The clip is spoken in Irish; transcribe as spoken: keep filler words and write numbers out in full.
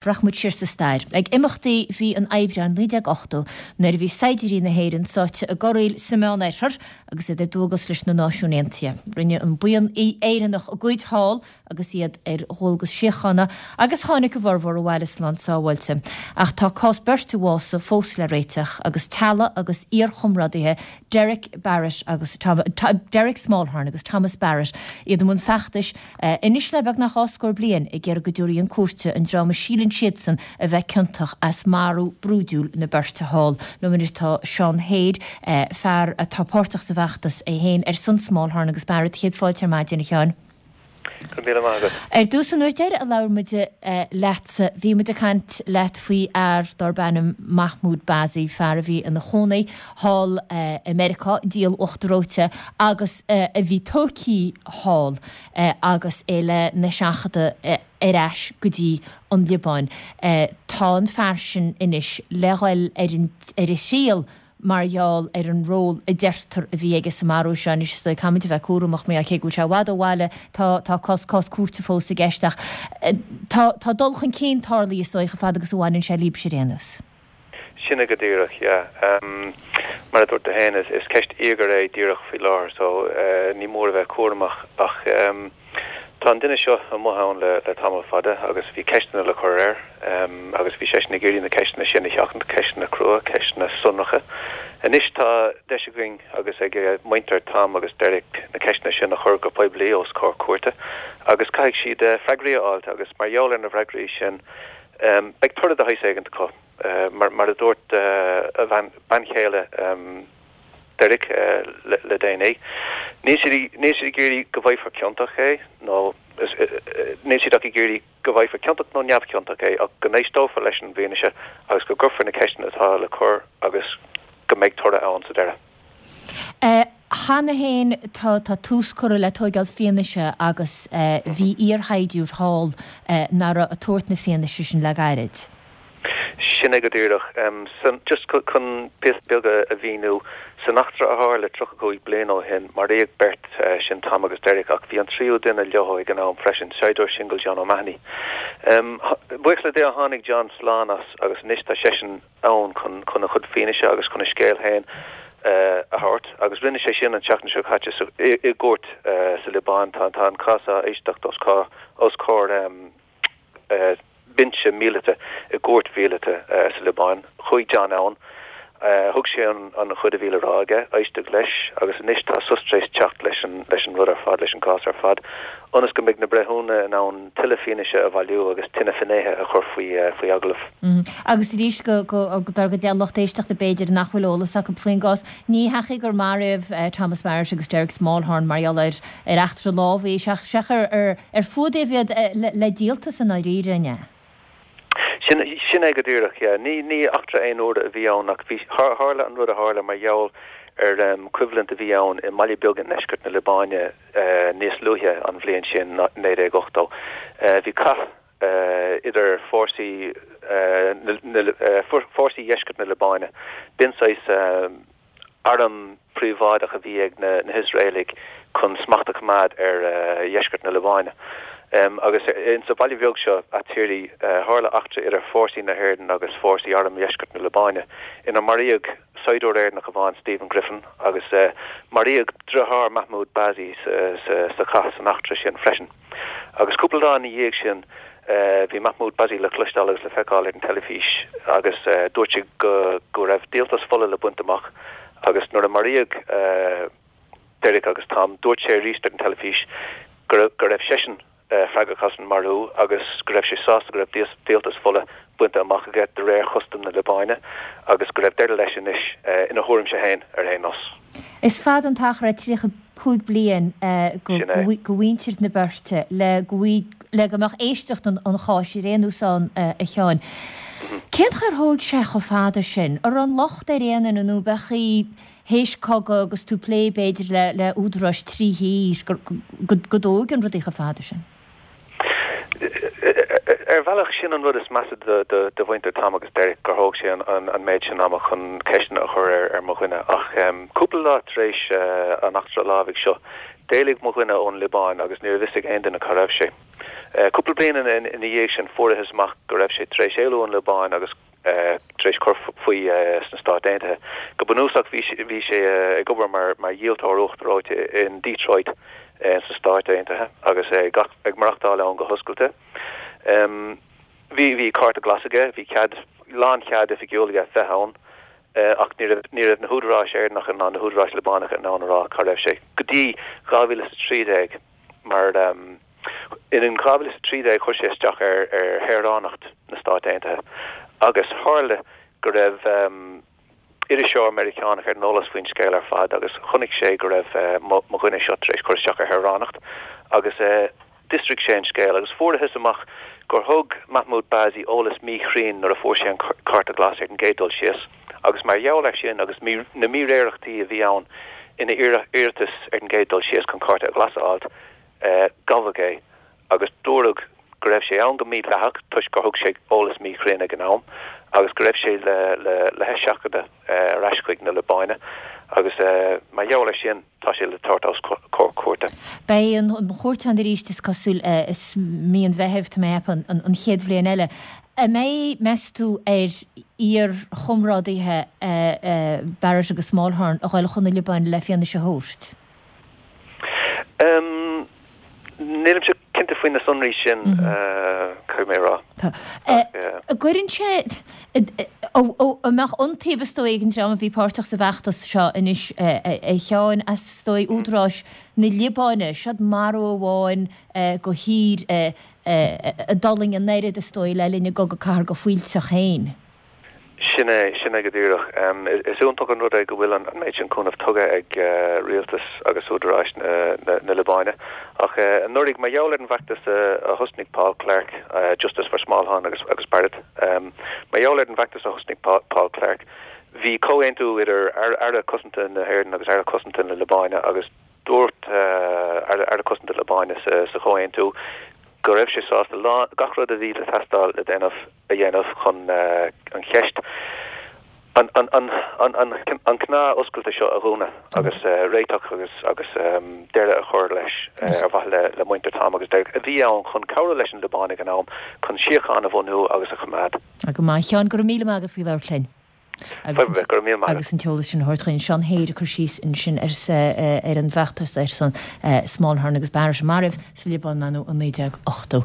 Rachaidh muid siar sa stair ag imeachtaí mhí an Aibreáin naoi déag ochtó nuair a bhí saighdiúirí na hÉireann sáite i gcorraíl sa Meánoirthear agus iad ar dualgas leis na Náisiúin Aontaithe. Rinne an buíon Éireannach a gcuid thall agus iad ar dhualgas síochána agus tháinig a bhformhór abhaile slán sábháilte. Ach tá cás beirt a bhásaigh fós le réiteach agus teaghlaigh agus iarchomrádaithe Derek Barrett agus Derek Smallhorne agus Thomas Barrett iad i mbun feachtais anois le beagnach dhá scór bliain ag iarraidh go dtabharfaí chun cúirte an dream a síleann siadsan a bheith ciontach as marú brúidiúil na beirte thall. Liom anois tá Seán Hade, fear atá páirteach sa bhfeachtas é féin ar son Smallhorne agus Barrett. Céad fáilte ar maidin, a Sheáin. Go raibh míle maith agat. Ar dtús, an uair deiridh a labhair muid leatsa, bhí muid ag caint leat faoi fhear darb ainm Mahmoud Bazzi, fear a bhí ina chónaí thall i Meiriceá, díol uachtar reoite, agus a bhí tógtha thall agus é lena sheachadadh ar ais go dtí an Liobáin. Tá an fear sin anois le dhul ar an ar an triail mar gheall ar an ról a deirtear a bhí aige sa marú seo. Anois is dóigh caithfimid a bheith cúramach mar cé go bhfuil sé i bhfad ó bhaile tá tá cás cás cúirte fós i gceist ach tá tá dul chun cinn tarlaithe is dóigh chomh fada agus a bhaineann sé libhse ar aon nós. Sin é go díreach, yeah. Mar a dúirt tú féin, is ceist íogair é díreach faoi láthair so ní mór a bheith cúramach ach tá an duine seo amuigh ann le le tamall fada agus bhí ceisteanna le cur air agus bhí seisean ag iarraidh na ceisteanna sin a sheachaint, ceisteanna crua, ceisteanna sonracha. Anois tá deis againn agus ag muintir Tom agus Derek na ceisteanna sin a chur go poiblí os comhair cúirte agus caithfidh siad freagraí a fháilt agus mar gheall ar na freagraí sin beidh toradh de shaghas éigint acu. Mar mar a dúirt a bhean bean chéile Derek le déanaí, níl siad níl siad ag iarraidh go bhfaighfear ciontach é nó níl siad ach ag iarraidh go bhfaighfear ciontach nó neamhchiontach é ach go n-éisteofar leis an bhfianaise agus go gcuirfear na ceisteanna atá le cur agus go mbeidh toradh ann sa deireadh. Cheana féin tá tá tús curtha le tóigeáil fianaise agus bhí iarshaighdiúir thall nach raibh ag tabhairt na fianaise sin le gairid. Sin é go díreach. San, just chun píosa beag a mhíniú, san eachtra a tharla tríocha cúig bliain ó shin, maraíodh beirt, sin Tom agus Derek, ach bhí an tríú duine leo ag an am freisin, saighdiúir singil John O'Mahony. Buíochas le Dia tháinig John slán as agus anois tá seisean ann chun chun a chuid fianaise agus chun a scéal féin a thabhairt agus rinne sé sin an tseachtain seo caite sa, i, i gcúirt sa Liobáin. Tá, tá an cás á éisteacht os comhair, os comhair binse míleata i gcúirt mhíleata sa Liobáin. Chuaigh John ann. Thug sé an chuid a bhí le rá aige, éisteadh leis agus anois tá sos tar éis teacht leis an leis an rud ar fad, leis an gcás ar fad, ionas go mbeidh na breithiúna in ann tuilleadh fianaise a bhailiú agus tuilleadh finnéithe a chur faoi faoi agallamh. Agus arís go go dár gcuid lucht éisteachta b'fhéidir nach bhfuil eolas acu faoin gcás, ní hea gur maraíodh Thomas Barrett agus Derek Smallhorne mar gheall ar ar eachtra lámhaigh, seach ar ar Ar fuadaíodh iad le díoltas i ndáiríre, an ea? Sin, sin é go díreach, yeah. Ní, ní eachtra aon uaire a bhí ann ach bhí, tharla an rud a tharla mar gheall ar choimhlint a bhí ann i mbaile beag i ndeisceart na Liobáine níos luaithe an bhliain sin, naoi déag ochtó. Bhí cath idir fórsaí na, na, fórsaí dheisceart na Liobáine. B'in saghas arm príobháideach a bhí ag na hIosraelaigh chun smacht a choimeád ar dheisceart na Liobáine. Agus insa bhaile bheag seo, At-Tiri, tharla eachtra idir fórsaí na hÉireann agus fórsaí arm dheisceart na Liobáine, inar maraíodh saighdiúir Éireannach amháin, Stephen Griffin, agus maraíodh deartháir Mahmoud Bazzi sa chath san eachtra sin freisin. Agus cúpla lá ina dhiaidh sin, bhí Mahmoud Bazzi le cloisteáil agus le feiceáil ar an teilifís agus dúirt sé go go raibh díoltas fola le baint amach agus nuair a maraíodh Derek agus Tom, dúirt sé arís ar an teilifís go go raibh seisean freagrach as an marú agus go raibh sé sásta go raibh díoltas fola bainte amach aige de réir chustam na Liobáine agus go raibh deireadh leis anois, ina thuairimse féin ar aon nós. Is fada an t-achar é tríocha cúig bliain go mhuintir na beirte le go le go mbeadh éisteacht an cháis ar aon nós ann, a Sheáin. Cén chaoi ar thóig sé chomh fada sin? An raibh an locht ar aon duine nó ab é théis cogadh agus tú ag plé b'fhéidir le le údaráis trí thír go go dtógann rudaí chomh fada sin? Ar bhealach, sin an rud is measa do mhuintir Tom agus Derek, gur thóg sé an méid sin ama chun ceisteanna a chur ar mo dhuine. Ach cúpla lá tar éis an eachtra lámhaigh seo, D'éalaigh mo dhuine ón Liobáin agus ní raibh fhios ag aon duine cá raibh sé. Cúpla bliain ina dhiaidh sin fuarthas amach go raibh sé tar éis éalú ón Liobáin agus tar éis cur faoi sna Stáit Aontaithe. Go bunúsach bhí bhí sé ag obair mar mar dhíoltóir uachtar reoite in Detroit sna Stáit Aontaithe agus é ag maireachtáil ann go hoscailte. Bhí bhí cárta glas aige, bhí cead lánchead oifigiúil aige bheith ann ach ní raibh ní raibh na húdaráis Éireannacha ná na húdaráis Liobánacha in ann a rá cá raibh sé go dtí dhá mhíle is a trí déag mar in in dhá mhíle is a trí déag chuir sé isteach ar ar shaoránacht na Stát Aontaithe agus tharla go raibh iriseoir Meiriceánach ar an eolas faoin scéal ar fad agus chonaic sé go raibh mo dhuine seo tar éis cur isteach ar shaoránacht agus d'fhiosraigh sé an scéal agus fuarthas amach gur thug Mahmoud Bazzi eolas míchruinn nuair a fuair sé an cárta glas ar an gcéad dul síos agus mar gheall air sin agus na míréireachtaí a bhí ann ina iarratas ar an gcéad dul síos chun cárta glas a fháil, gabhadh é agus dúradh go raibh sé ann go mídhleathach toisc gur thug sé eolas míchruinn ag an am agus go raibh sé le le le heiseachadadh ar ais chuig na Liobáine agus mar gheall air sin tá sé le tabhairt os comhair cúirte. Beidh an chúirt ann arís is cosúil i mí an Mheithimh, tá mé ag ceapadh, an chéad bhliain eile. An mbeidh, meas tú, ar iar-chomrádaithe Barrett agus Smallhorne a dhul chun na Liobáine le fianaise a thabhairt? Nílimse cinnte faoi na sonraí sin, caithfidh mé a rá. Tá. An gcuireann sé, an mbeadh iontaoibh is dóigh ag an dream a bhí páirteach sa bhfeachtas seo anois, a Sheáin, as is dóigh údaráis na Liobáine, siod marú amháin do thír a d'fhulaing an oiread is dóigh le linn an gCogadh Cathartha go fuilteach féin. Sin é, sin é go díreach. Is iontach an rud é go bhfuil an méid sin cúnamh tugtha ag rialtas agus údaráis na Liobáine. Ach anuraidh, mar gheall ar an bhfeachtas a thosnaigh Paul Clarke, Justice for Smallhorne agus agus Barrett, mar gheall ar an bhfeachtas a thosnaigh Paul Clarke, bhí comhaontú idir Aire Cosanta na hÉireann agus Aire Cosanta na Liobáine agus dúirt Aire Cosanta na Liobáine sa chomhaontú go raibh sé sásta gach rud a bhí le teastáil le déanamh a dhéanamh chun an cheist, an cneá oscailte seo a dhúnadh agus réiteach agus agus deireadh a chur leis ar mhaithe le muintir Tom agus Derek a bhí ann chun cabhrú leis an Liobáin ag an am chun síocháin a bhunú agus a choimeád. Go maith, a Sheáin, go raibh míle maith agat faoi labhairt linn. Fadhb ar bith, go raibh míle maith agat. Agus an t-eolas sin a thabhairt chugainn. Seán Hare ag cur síos ansin ar an bhfeachtas ar son Smallhorne agus Barrett a maraíodh sa Liobáin in naoi déag ochtó.